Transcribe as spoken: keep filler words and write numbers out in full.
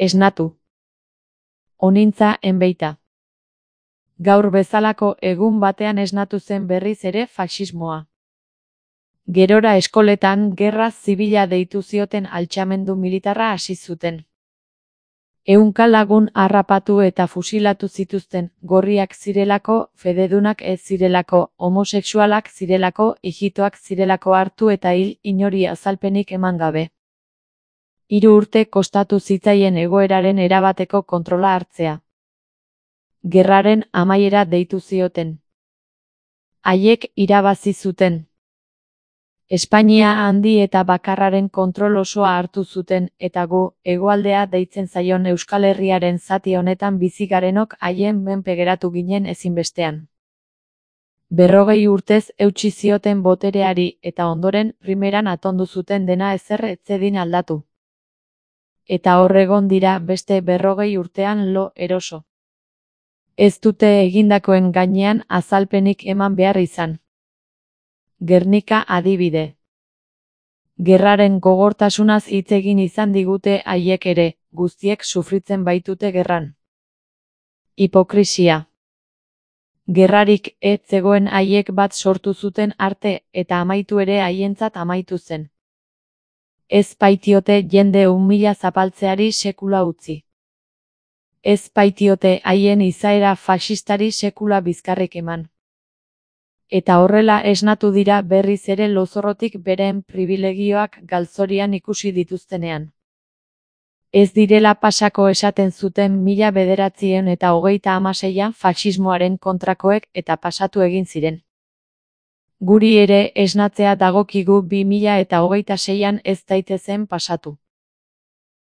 Esnatu. Onintza enbeita. Gaur bezalako egun batean esnatu zen berriz ere faxismoa. Gerora eskoletan gerra zibila deitu zioten altxamendu militarra hasi zuten. Ehunka lagun harrapatu eta fusilatu zituzten, gorriak zirelako, fededunak ez zirelako, homosexualak zirelako, ijitoak zirelako hartu eta hil inori azalpenik eman gabe. Hiru urte kostatu zitzaien egoeraren erabateko kontrola hartzea. Gerraren amaiera deitu zioten. Haiek irabazi zuten. Espainia handi eta bakarraren kontrol osoa hartu zuten, eta gu, hegoaldea deitzen zaion Euskal Herriaren zati honetan bizi garenok haien menpe geratu ginen ezinbestean. Berrogei urtez eutsi zioten botereari eta ondoren primeran atondu zuten dena ezer ez zedin aldatu. Eta hor egon dira beste berrogei urtean lo eroso. Ez dute egindakoen gainean azalpenik eman behar izan. Gernika adibide. Gerraren gogortasunaz hitz egin izan digute haiek ere, guztiek sufritzen baitute gerran. Hipokrisia. Gerrarik ez zegoen haiek bat sortu zuten arte eta amaitu ere haientzat amaitu zen. Ez baitiote jende umila zapaltzeari sekula utzi. Ez baitiote haien izaera faxistari sekula bizkarrik eman. Eta horrela esnatu dira berriz ere lozorrotik beren pribilegioak galzorian ikusi dituztenean. Ez direla pasako esaten zuten mila bederatziehun eta hogeita hamaseian faxismoaren kontrakoek eta pasatu egin ziren. Guri ere esnatzea dagokigu bi mila eta hogeita seian ez daitezen pasatu.